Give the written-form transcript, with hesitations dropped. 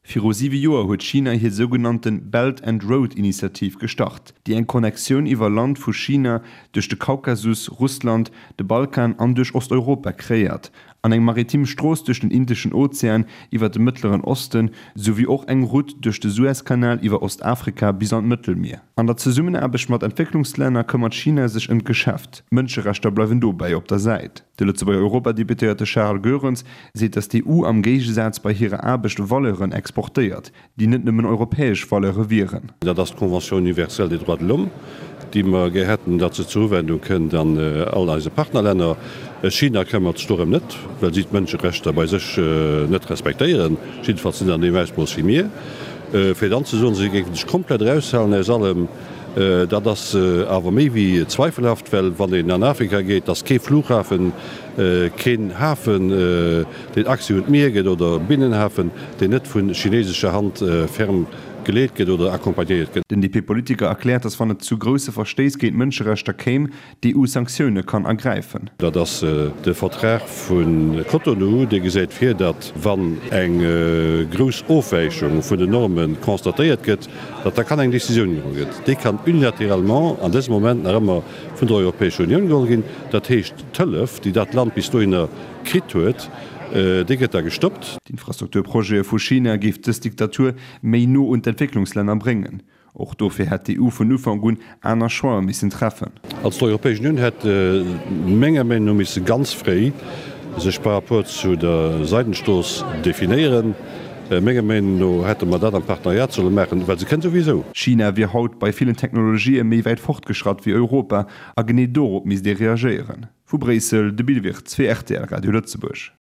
Viru siwe Joer huet China hir sougenannte Belt and Road Initiativ gestart, déi eng Connectioun iwwer Land vu China duerch de Kaukasus, Russland, de Balkan an duerch Osteuropa kreéiert an eng maritim Strooss duerch den Indeschen Ozean iwwer de Mëttleren Osten, souwéi och eng Route duerch de Suezkanal iwwer Ostafrika bis an d'Mëttelmier. An der Zesummenaarbecht mat Entwécklungslänner këmmert China sech ëm d'Geschäft. D'Mënscherechter bleiwen dobäi op der Säit. De Lëtzebuerger Europadeputéierte Charles Goerens seet, datt d'EU am Géigesaz bei hirer Aarbecht Valeuren exportéiert, déi net nëmmen europäesch Valeure wieren. Dat ass d'Convention universelle des droits de l'homme, déi mer gär hätten, datt se zur Uwendung kënnt an all eise Partnerlänner. China këmmert sech dorëm net, well si d'Mënscherechter bei sech net respektéieren, jiddefalls net an deem Ausmooss wéi mir. Fir dann ze soen, si géife sech komplett eraushalen aus allem, dat ass awer méi wéi zweifelhaft, well wann een an Afrika geet, ass kee Flughafen, keen Hafen, deen Accès un d'Mier gëtt oder Binnenhafen, deen net vu chinesescher Hand ferm geleet gëtt oder accompagnéiert gëtt. Den DP-Politiker erkläert, datt wann et zu grousse Verstéiss géint d'Mënscherechter kéim, d'EU Sanktioune kann ergräifen. Dat ass de Vertrag vu Cotonou, dee gesäit vir, datt wann eng grouss Ofwäichung vun den Norme constatéiert gëtt, datt da kann eng Décisioun geholl gëtt. Déi kann unilatéralement an dësem Moment nach ëmmer vun der Europäescher Unioun geholl ginn. Dat heescht, d'Hëllef, déi dat Land bis dohinner kritt huet, déi gëtt da gestoppt. D'Infrastrukturprojete vu China géif dës Diktatur méi no un d'Entwécklungslänner bréngen. Och dofir hätt d'EU vun Ufank un aner Choixë missen treffen. Also d'Europäesch Unioun hätt menger Meenung no misse ganz fréi sech par rapport zu der Seidenstrooss definéieren. Menger Meenung no hätte mer dat am Partenariat solle maachen, well se kënnt souwisou. China wier haut bei villen Technologië méi wäit fortgeschratt wéi Europa a genee dorop misst ee reagéieren. Vu Bréissel, de Bill Wirtz fir rtl Radio Lëtzebuerg.